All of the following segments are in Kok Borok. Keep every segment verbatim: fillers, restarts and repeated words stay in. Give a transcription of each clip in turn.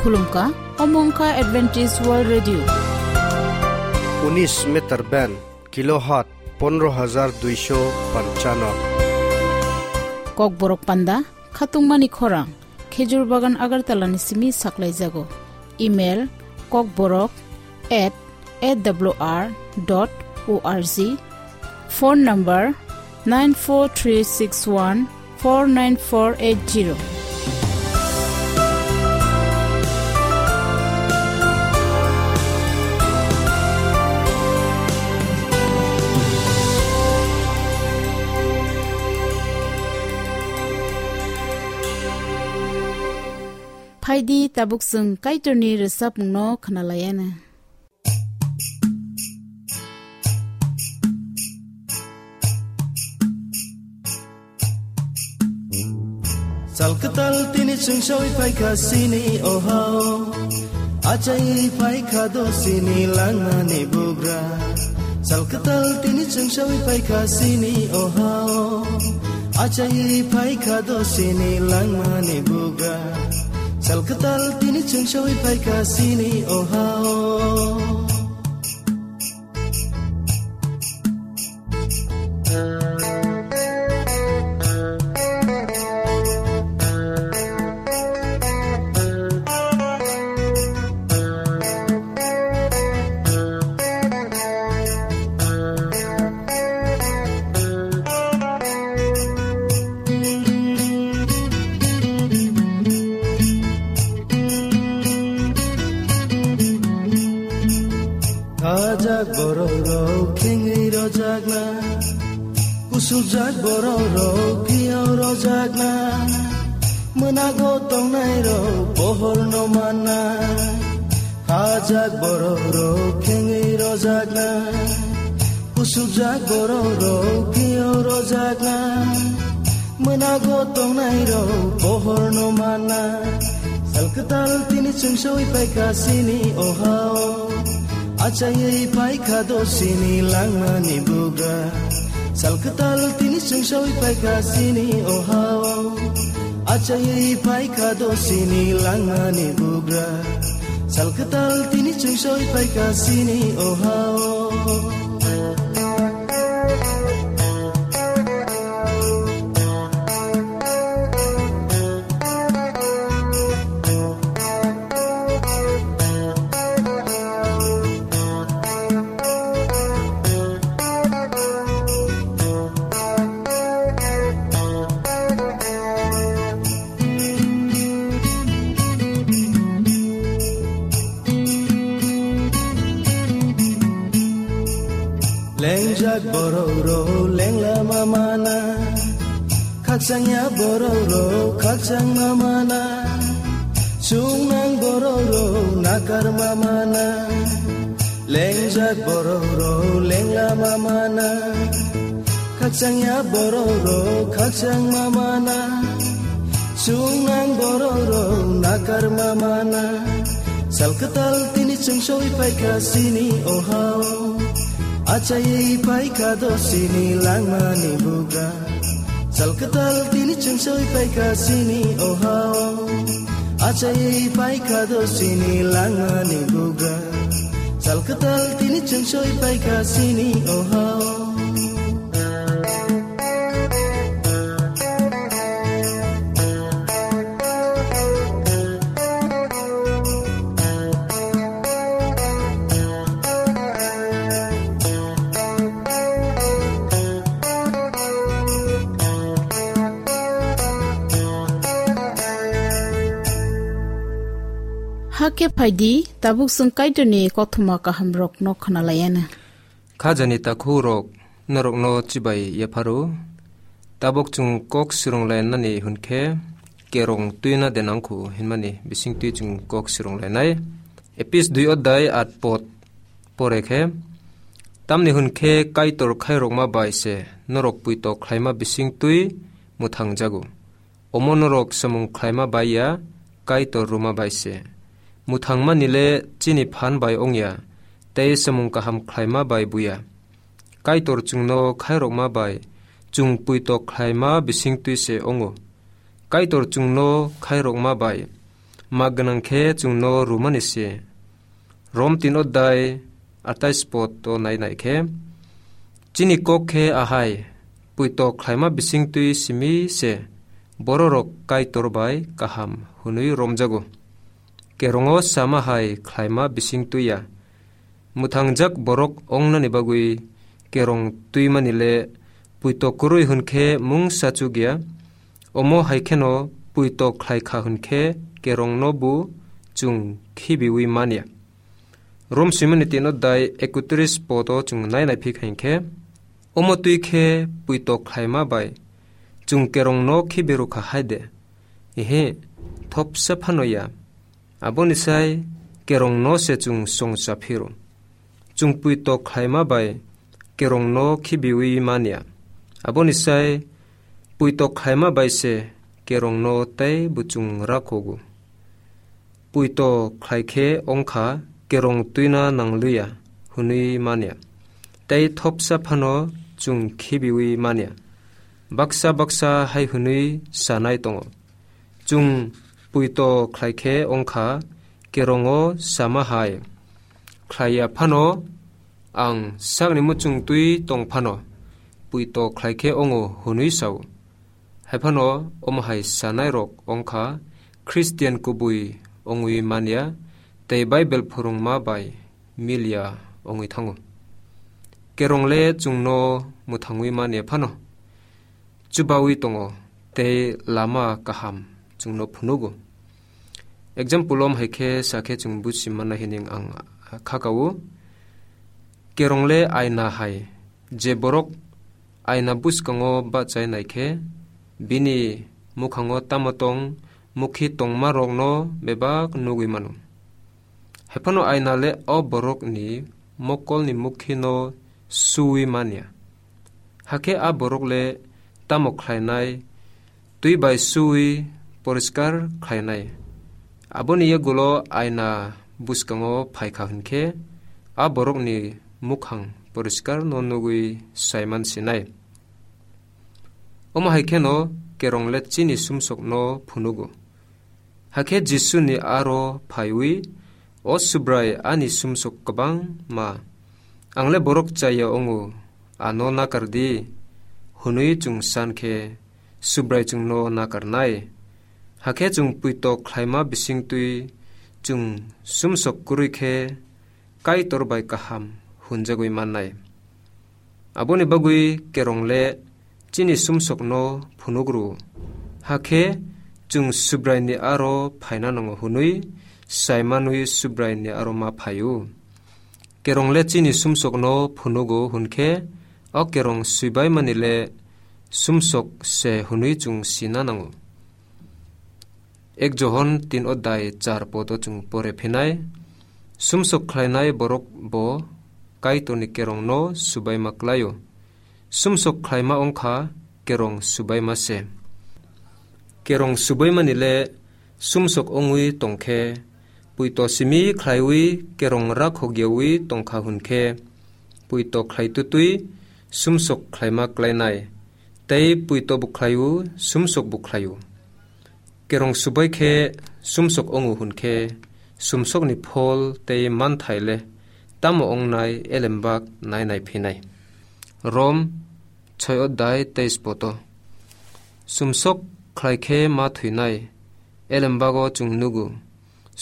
Khulumkha, omo wngkha Adventist World Radio. Unis meter band, kilohertz pondro hajar duisho panchano. Kokborok panda, khatungmani khorang, Khejur Bagan Agartala ni simi saklaijago. Email, kokborok at A W R dot O R G. Phone number nine four three six one four nine four eight zero. Phaidi tabuk chwng Kaitorni rwchapmungno khwnalaiana. Sal kwtal tini chwng sawi phaikha sini ohao. Achai phaikha do sini langmani bugra. Sal kwtal tini chwng sawi phaikha sini ohao. Achai phaikha do sini langmani bugra. Sal kwtal tini chwng sawi phaikha sini ohao. Khajak borok rok khengwi rojakna, kusukjak borok rok phiyok rojakna, mwnago tongnai rok pohor no manna. Khajak borok rok khengwi rojakna, kusukjak borok rok phiyok rojakna, mwnago tongnai rok pohor no manna. Sal kwtal tini chwng sawi phaikha sini ohao. Achaiwi phaikha do sini langmani bugra. Sal kwtal tini chwng sawi phaikha sini ohao. Achaiwi phaikha do sini langmani bugra. Sal kwtal tini chwng sawi phaikha sini ohao. Lengjak borok rok lengla ma mana, khakchangya borok rok khakchang ma mana, chungnang borok rok nakar ma mana. Lengjak borok rok lengla ma mana, khakchangya borok rok khakchang ma mana, chungnang borok rok nakar ma mana. Sal kwtal tini chwng sawi phaikha sini ohao. Achaiwi phaikha do sini langmani bugra. Sal kwtal tini chwng sawi phaikha sini ohao. Achaiwi phaikha do sini langmani bugra. Sal kwtal tini chwng sawi phaikha sini ohao. Hakhe phaidi, tabuk chwng Kaitorni kothoma kahamrokno khwnalaiana. Khajani takhuk rok norokno chibai yapharo. Tabok chwng kok swrwnglainani hwnkhe kerong twina de nangkhu hinmani bisingtwi chwng kok swrwnglainai. Epis dui odai at pot pore khe, tamni hwnkhe Kaitor khairokma bai se norok puitok khlaima bisingtwi mwthangjago. Omo norok samung khlaima bai ya, Kaitor rwma bai se. Mwthangmani le chini phan bai wng ya, tei samung kaham khlaima bai buya. Kaitor chwngno khairokma bai chwng puitok khlaima bisingtwi se wngo. Kaitor chwngno khairokma bai ma gwnang khe chwngno rwmani se. Rom tin odai atais pod o nai nai khe, chini kok khe ahai, puito khlaima bisingtwi simi se bororok Kaitor bai kaham hwnwi romjago. Kerongo sama hai khlaima bisingtwi ya. Mwthangjak borok ongnani bagwi kerong twimani le puito kwrwi hwn khe mungsa chuk ya. Omo hai kheno puito khlai kha hwn khe kerongno bo chwng khibiwi man ya. Rom swimani tin odai ekotris pod o chwng nai nai phi kha hwn khe, omo twi khe puito khlaima bai chwng kerongno khibi rw kha hai de? Ehe, thopsa phano ya. Aboni sai kerongno se chwng songcha phiro. Chwng puito khlaima bai kerongno khibiwi man ya. Aboni sai puito khlaima bai se kerongno tei bo chwng rakhogo. Puito khlai khe ongkha kerong twina nang liya hwnwi man ya. Tei thopsa phano chwng khibiwi man ya. Baksa baksa hai hwnwi sanai tongo. Chwng puito khlai khe ongkha kerongo sama hai. Khlai ya phano, ang sakni muchung twi tong phano, puito khlai khe ongo hwnwi sao. Hai phano omo hai sanai rok ongkha Christian kubui ongwi man ya tei Bible phwrwngma bai mil ya ongwi thango. Kerong le chwngno mwthangwi man ya phano, chubawi tongo tei lama kaham chwngno phunugo. Example om hai khe sa khe chwng buji manna hini ang kha kao. Kerong le aina hai, je borok aina bwskango bachai nai khe bini mukhango tamo tong mukhi tongma rokno bebak nugwi mano. Hai phano aina le o borokni mokolni mukhino suwi man ya. Hakhe a borok le tamo khlainai? Twi bai suwi poriskar khlainai. Aboni yagulo aina bwskango phai kha hwn khe a borokni mukhang poriskar no nugwi saiman sinai. Omo hai kheno kerong le chini sumsokno phunugo. Hakhe Jisuni aro phaiwi, "O Subrai, ani sumsok kwbangma. Ang le borok chaya wngo, ano nakar di," hwnwi chwng san khe, Subrai chwngno nakarnai. Hakhe chwng puito khlaima bisingtwi chwng sumsok kwrwi khe Kaitor bai kaham hwnjagwi mannai. Aboni bagwi kerong le chini sumsokno phunuk rw-o. Hakhe chwng Subraini aro phaina nango hwnwi saimanwi Subraini aro ma phai-o. Kerong le chini sumsokno phunugo hwn khe o kerong swibaimani le sumsok se hwnwi chwng sina nango. Ek Johon tin odai char podo chwng pore phinai, sumsok khlainai borok bo Kaitorni kerongno subaima klaio. Sumsok khlaima wngkha kerong subaima se. Kerong subaimani le sumsok wngwi tongkhe, puito simi khlaiwi kerong rakhokyawi tongkha hwn khe, puito khlaitutwi sumsok khlaima klainai, tei puito bo khlaio, sumsok bo khlaio. Kerong subai khe sumsok wngo hwn khe, sumsokni phol tei manthai le tamo wngnai elembak nai nai phinai. Rom choi odai teis poto. Sumsok khlai khe ma thwinai, elembago chwng nugo.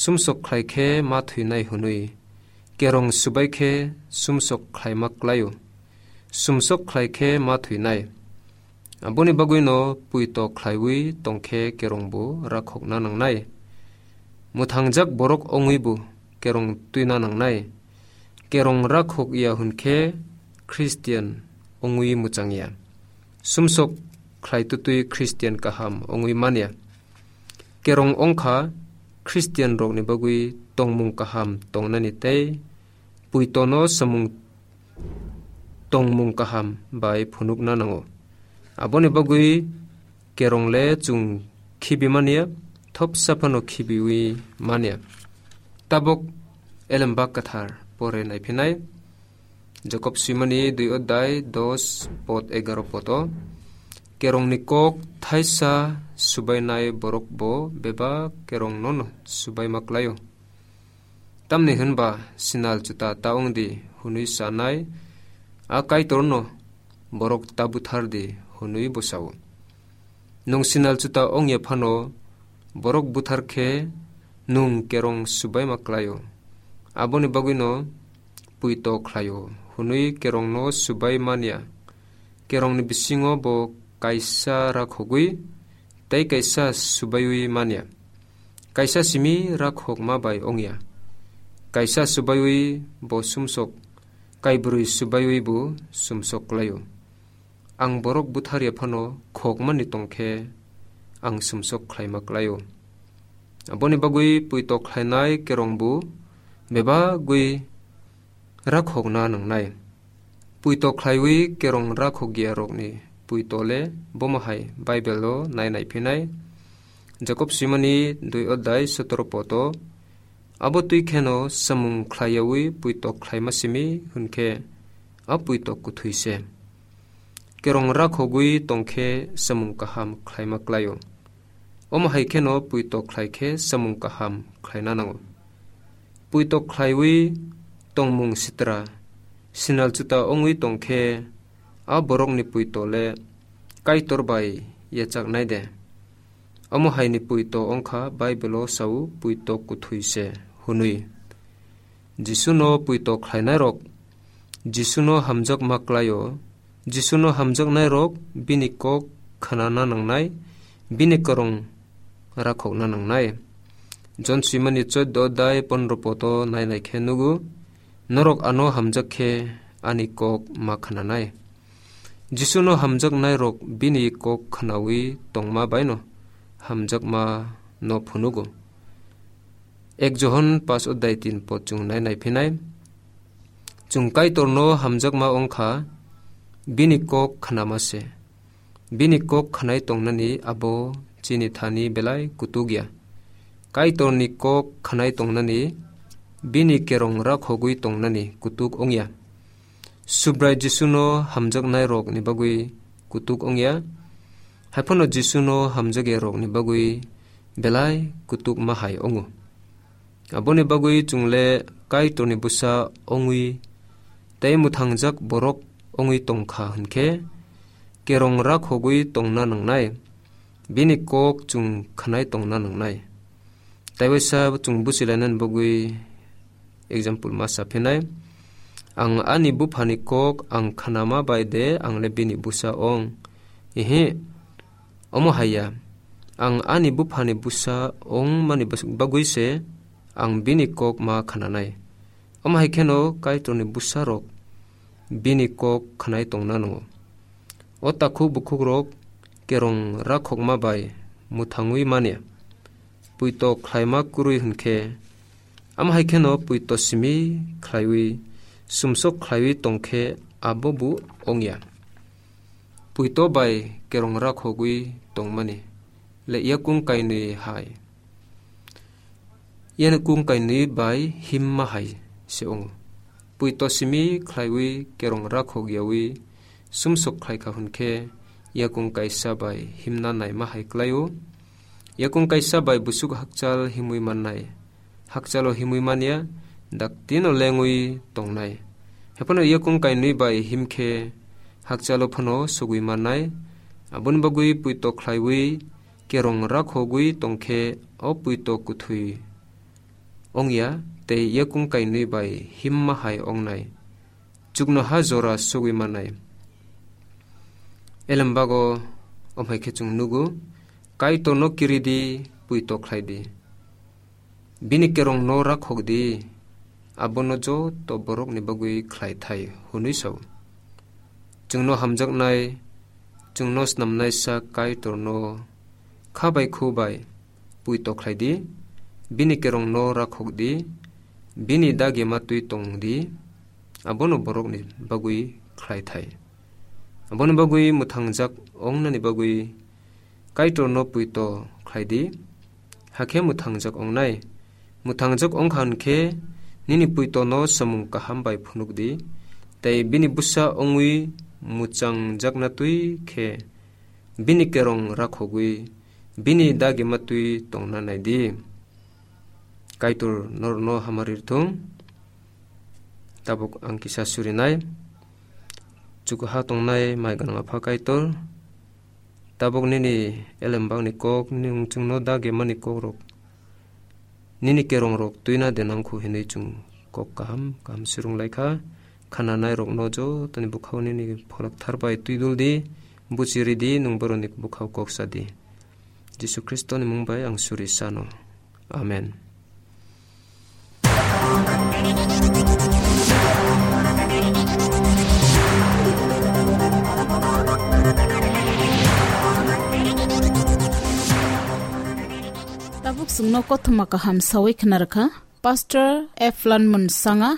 Sumsok khlai khe ma thwinai hwnwi. Kerong subai khe sumsok khlaima klaio. Sumsok khlai khe ma thwinai. Aboni bagwino puito khlaiwi tongkhe kerongbo rakhokna nangnai. Mwthangjak borok wngwibo kerong twina nangnai. Kerong rakhok ya hwn khe Christian wngwi mwchang ya. Sumsok khlaitutwi Christian kaham wngwi man ya. Kerong wngkha Christian rokni bagwi tongmung kaham tongnani tei puitono samung tongmung kaham bai phunukna nango. Aboni bagwi kerong le chwng khibi manya, thopsa phano khibiwi manya. Tabok elembak kwthar pore naiphinai. Jakob swimani dui odai dos pod egaro podo. Kerongni kok thaisa subainai borok bo bebak kerongno no subaima klai-o. Tamni hwnba sinal chuta ta wng di hwnwi sanai a Kaitorno borok ta buthar di hwnwi bo sa-o. Nwng sinal chuta wng ya phano borok buthar khe nwng kerong subaima klai-o. Aboni bagwino puito khlai-o hwnwi kerongno subai man ya. Kerongni bisingo bo kaisa rakhogwi tei kaisa subaiwi man ya. Kaisa simi rakhokma bai wng ya. Kaisa subaiwi bo sumsok, kaibrwi subaiwi bo sumsok klai-o. Ang borok buthar ya phano khokmani tong khe ang sumsok khlaima klai-o. Aboni bagwi puito khlainai kerong bo bebagwi rakhokna nangnai. Puito khlaiwi kerong rakhok ya rokni puito le bomo hai Bible-o nai nai phinai. Jakob swimani dui odai sotoro poto, abo twi kheno samung khlai yawi puito khlaima simi hwn khe a puito kuthwi se. Kerong rakhogwi tong khe samung kaham khlaima klai-o. Omo hai kheno puito khlai khe samung kaham khlaina nango. Puito khlaiwi tongmung sitra, sinal chuta wngwi tong khe a borokni puito le Kaitor bai yachaknai de? Omo haini puito wngkha Bible-o sao puito kuthwi se hwnwi. Jisuno puito khlainairok Jisuno hamjakma klai-o. Jisuno hamjaknairok bini kok khnana nangnai, bini kwrwng rakhokna nangnai. Jon swimani choddo dai pondro poto nai nai khe nugo, norok ano hamjak khe ani kok ma khnanai. Jisuno hamjaknairok bini kok khnawi tongma baino hamjakma no phunugo. Ek Johon pas odai tin pot chwng nai nai phinai. Chwng Kaitorno hamjakma wngkha, bini kok khnama se. Bini kok khnai tongnani abo chini thani belai kutuk ya. Kaitorni kok khnai tongnani, bini kerong rakhogwi tongnani kutuk wngya. Subrai Jisuno hamjaknairokni bagwi kutuk wngya, haiphano Jisuno hamjakyarokni bagwi belai kutuk ma hai wngo. Aboni bagwi chwng le Kaitorni bwsa wngwi tei mwthangjak borok wngwi tong kha hwn khe, kerong rakhogwi tongna nangnai, bini kok chwng khnai tongna nangnai. Tei waisa chwng buchi lainani bagwi example ma sa phinai, "Ang ani buphani kok ang khnama bai de ang le bini bwsa ong?" Ihi, omo hai ya. Ang ani buphani bwsa ongmani bas-, bagwi se ang bini kok ma khnanai. Omo hai kheno Kaitorni bwsarok bini kok khnai tongna nango. O takhuk bukhukrok kerong rakhokma bai mwthangwi manya. Puito khlaima kwrwi hwn khe, amo hai kheno puito simi khlaiwi, sumsok khlaiwi tong khe abo bo wngya. Puito bai kerong rakhogwi tongmani le yakung kainwi hai. Yakung kainwi bai himma hai se wngo. Puito simi khlaiwi kerong rakhok yawi sumsok khlai kha hwn khe yakung kaisa bai himna naima hai klai-o. Yakung kaisa bai busuk hakchal himwi mannai. Hakchalo himwi manya, daktino lengwi tongnai. Hephano yakung kainwi bai him khe hakchalo phano sugwi mannai. Aboni bagwi puito khlaiwi kerong rakhogwi tong khe o puito kuthwi wngya tei yakung kainwi bai himma hai wngnai. Chuknoha jora sugwi mannai. Elembago omhai khe chwng nugo, Kaitorno kiri di, puito khlai di. Bini kerongno rakhok di, abono joto borokni bagwi khlai thai, hwnwi sao. Chwngno hamjaknai, chwngno snamnaisa Kaitorno kha bai khu bai puito khlai di, bini kerongno rakhok di, bini dagima twi tong di, abono borokni bagwi khlai thai. Aboni bagwi mwthangjak wngnani bagwi Kaitorno puito khlai di, hakhe mwthangjak wngnai. Mwthangjak wng kha hwn khe nini puitono samung kaham bai phunuk di, tei bini bwsa wngwi mwchangjakna twi khe bini kerong rakhogwi bini dagi ma twi tongna nai di. Kaitor norokno hamari rwthung. Tabuk ang kisa surinai. Chukuha tongnai mai gwnang Apha Kaitor, tabuk nini elembakni kok, nini chwngno dagi mani kokrok, nini kerongrok twina de nangkhu hinwi chwng kok kaham kaham surung lai kha. Khananairokno jotoni bukhao nini pholok thar bai twi dul di, buchi rw di, nwng borokni bukhao kok sa di. Jisu Khristoni mung bai ang suri sano. Amen. Tabuk chwngno kothoma kaham sawi khna rwkha Pastor F Lanmun Sanga.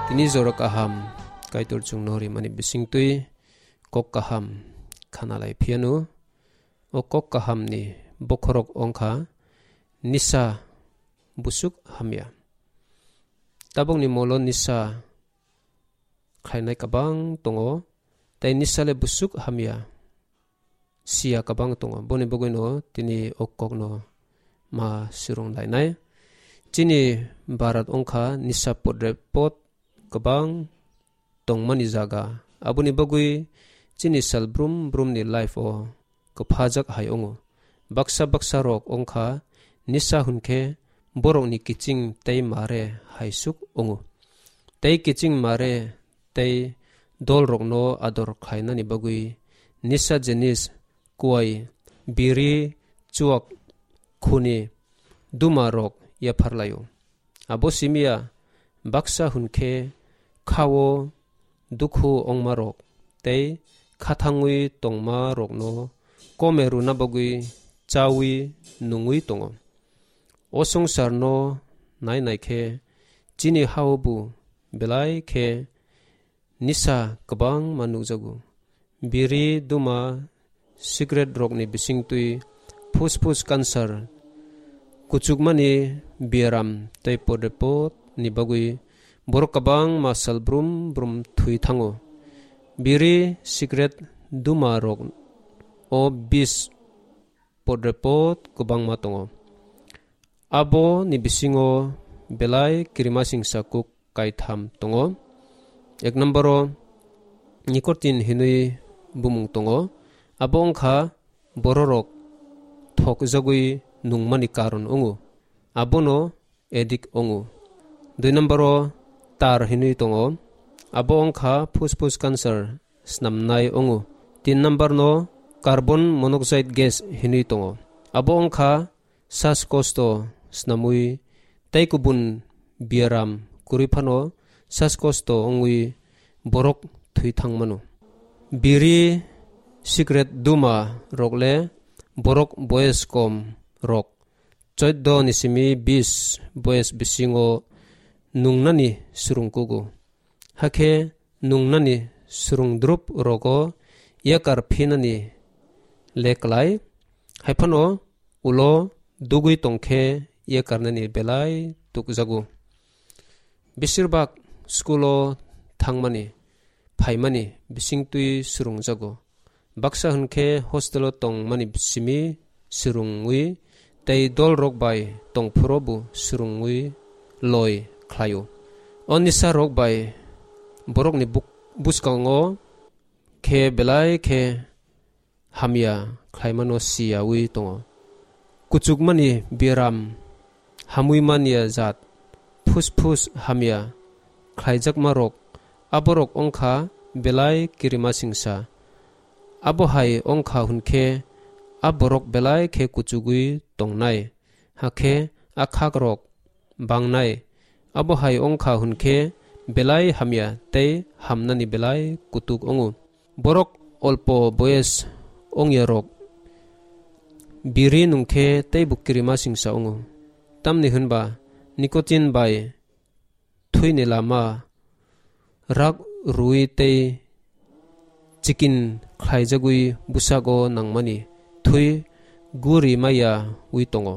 Tini jora kaham Kaitor chwngno rimani bisingtwi kok kaham khana lai phiano, o kok kahamni bokhorok wngkha nisa busuk hamya. Tabukni molo nisa khlainai kwbang tongo, tei nisa le busuk hamya siya kwbang tongo. Boni bagwino tini o kokno ma surung lainai. Chini Bharat wngkha nisa podre pod kwbang tongmani jaga. Aboni bagwi chini sal brum brumni life-o kwphajak hai wngo. Baksa baksa rok wngkha nisa hwnkhe borokni kiching tei mare hai suk wngo. Tei kiching mare tei dolrokno ador khlainani bagwi nisa jinis kuai, biri, chuak, khuni, duma rok yapharlaio. Abo simiya baksa hwnkhe khao dukhu ongma rok tei khathangwi tongma rokno kome rwna bagwi chawi nungwi tongo. O swngcharno nai nai khe chini hao bo belai khe nisa kwbangma nukjago. Biri, duma, cigarette rokni bisingtwi phusphus cancer, kuchukmani biaram tei podrepot ni bagwi borok kwbangma sal brum brum thwi thango. Biri, cigarette, duma rok o bis podrepot kwbangma tongo. Abo ni bisingo belai kirimasingsa kuk kaitham tongo. Ek number o nicotine hinwi bumung tongo. Abo wngkha bororok thokjagwi nungmani karon wngo. Abono addict wngo. Dui number o tar hinwi tongo. Abo wngkha phusphus cancer snamnai wngo. Tin number no carbon monoxide gas hinwi tongo. Abo wngkha saskosto snamwi tei kubun biaram kwrwi phano saskosto wngwi borok thwi thangmano. Biri, cigarette, duma rok le borok boyes kom rok, choddo ni simi bis boyes bisingo nungnani swrwng kugo. Hakhe nungnani swrwng drup rogo yakar phinani le klai, haiphano ulo dugwi tongkhe yakarnani belai tukjago. Besirbak school o thangmani, phaimani bisingtwi swrwngjago. Baksa hwnkhe hostel o tongmani simi swrwngwi tei dolrok bai tongphuru bo swrwngwi loi khlaio. O nisa rok bai borokni buk-, bwskango khe belai khe hamya khlaimano siyawi tongo. Kuchukmani biaram, hamwi manya jat, phusphus hamya khlaijakma rok, aborok wngkha belai kirimasingsa. Abo hai wngkha hwnkhe a borok belai khe kuchugwi tongnai, hakhe a khakrok bangnai. Abo hai wngkha hwnkhe belai hamya tei hamnani belai kutuk wngo. Borok olpo boyes ongya rok biri nungkhe teibo kirimasingsa wngo. Tamni hwnba nicotine bai thwini lama rak rwui tei chikin khlaijagwi bwsago nangmani thwi guri maya wi tongo.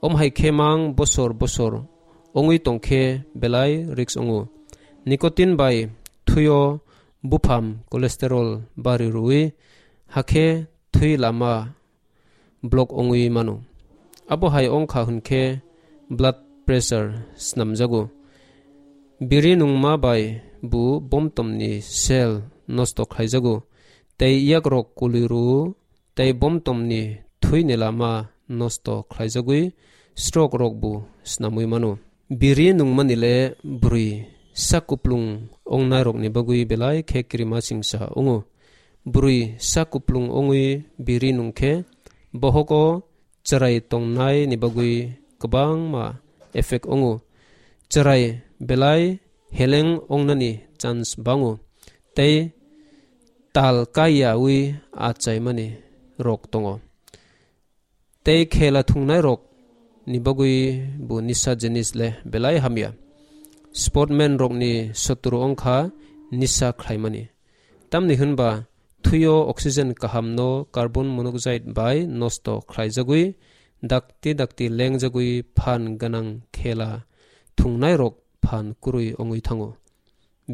Om hai khe mang bosor bosor ongwi tongkhe belai risk wngo. Nicotine bai thwio bupham cholesterol bari rwui hakhe thwi lama block ongwi mano. Abo hai wngkha hwnkhe blood pressure snamjago. Biri nungma bai bo bomtomni cell nosto khlaijago, tei yakrok kuli rwo, tei bomtomni thwini lama nosto khlaijagwi stroke rok bo snamwi mano. Biri nungmani le bwrwi sak kuplung ongnairokni bagwi belai khe kirimasingsa wngo. Bwrwi sak kuplung ongwi biri nungkhe bohogo chwrai tongnai ni bagwi kwbangma effect wngo. Chwrai belai heleng ongnani chance bango tei tal kaiyawi achaimani rok tongo. Tei khela thungnai rok ni bagwi bo nisa jinis le belai hamya. Sportman rok ni sotru wngkha nisa khlaimani. Tamni hwnba thwio oxygen kaham no carbon monoxide bai nosto khlaijagwi dakti dakti lengjagwi phan gwnang khela thungnai rok phan kwrwi wngwi thango.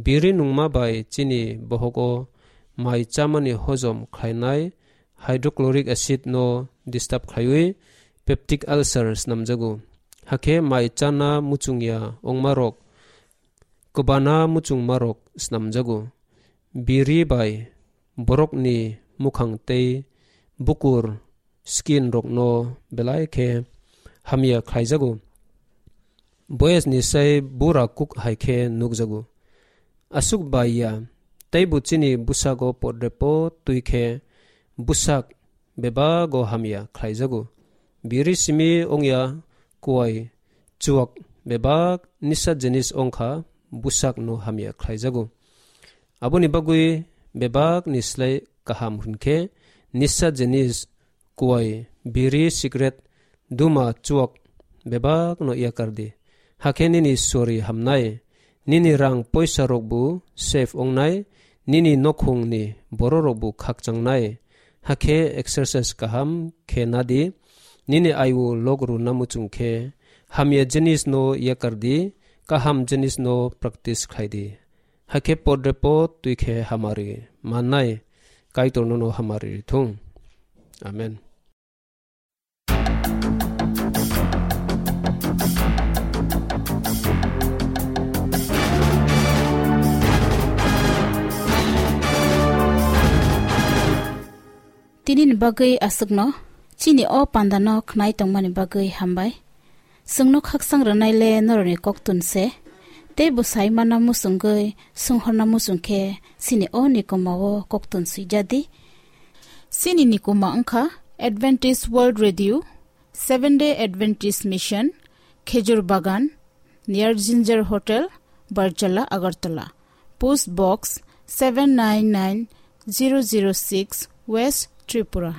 Biri nungma bai chini bohogo mai chamani hojom khlainai hydrochloric acid no disturb khlaiwi peptic ulcer snamjago. Hakhe mai chana muchungya ongma rok kwbana muchungmarok snamjago. Biri bai borokni mukhang tei bukur skin rokno belai khe hamya khlaijago. Boyesni sai bura kuk hai khe nukjago. Aswk bai ya, teibo chini bwsago podrepo twi khe bwsak bebago hamya khlaijago. Biri simi wngya kuai chuak bebak nisa jinis wngkha bwsakno hamya khlaijago. Aboni bagwi bebakni slai kaham hwnkhe nisa jinis kuai, biri, sikret, duma, chuak bebakno yakar di. Hakhe nini sori hamnai, nini rang poisa rokbo safe wngnai, nini nokhungni bororok bo khakchangnai. Hakhe exercise kaham khe nadi, nini aiwo lok rwna muchung khe hamya jinis no yakar di, kaham jinis no practice khlai di. Hakhe podre pod twi khe hamari mannai, Kaitor nono hamari rithung. Amen. Tini ni bagwi aswkno, chini o panda no khnai tongmani bagwi hambai. Chwngno khakchang rwnai le norokni koktun se, tei bwsai mana muchungwi swnghorna muchung khe chini o nikoma o koktun swijadi. Chini nikoma wngkha Adventist World Radio, Seven Day Adventist Mission, Khejur Bagan, near Ginger Hotel, Barjala, Agartala. Post Box seven nine nine zero zero six, West Tripura.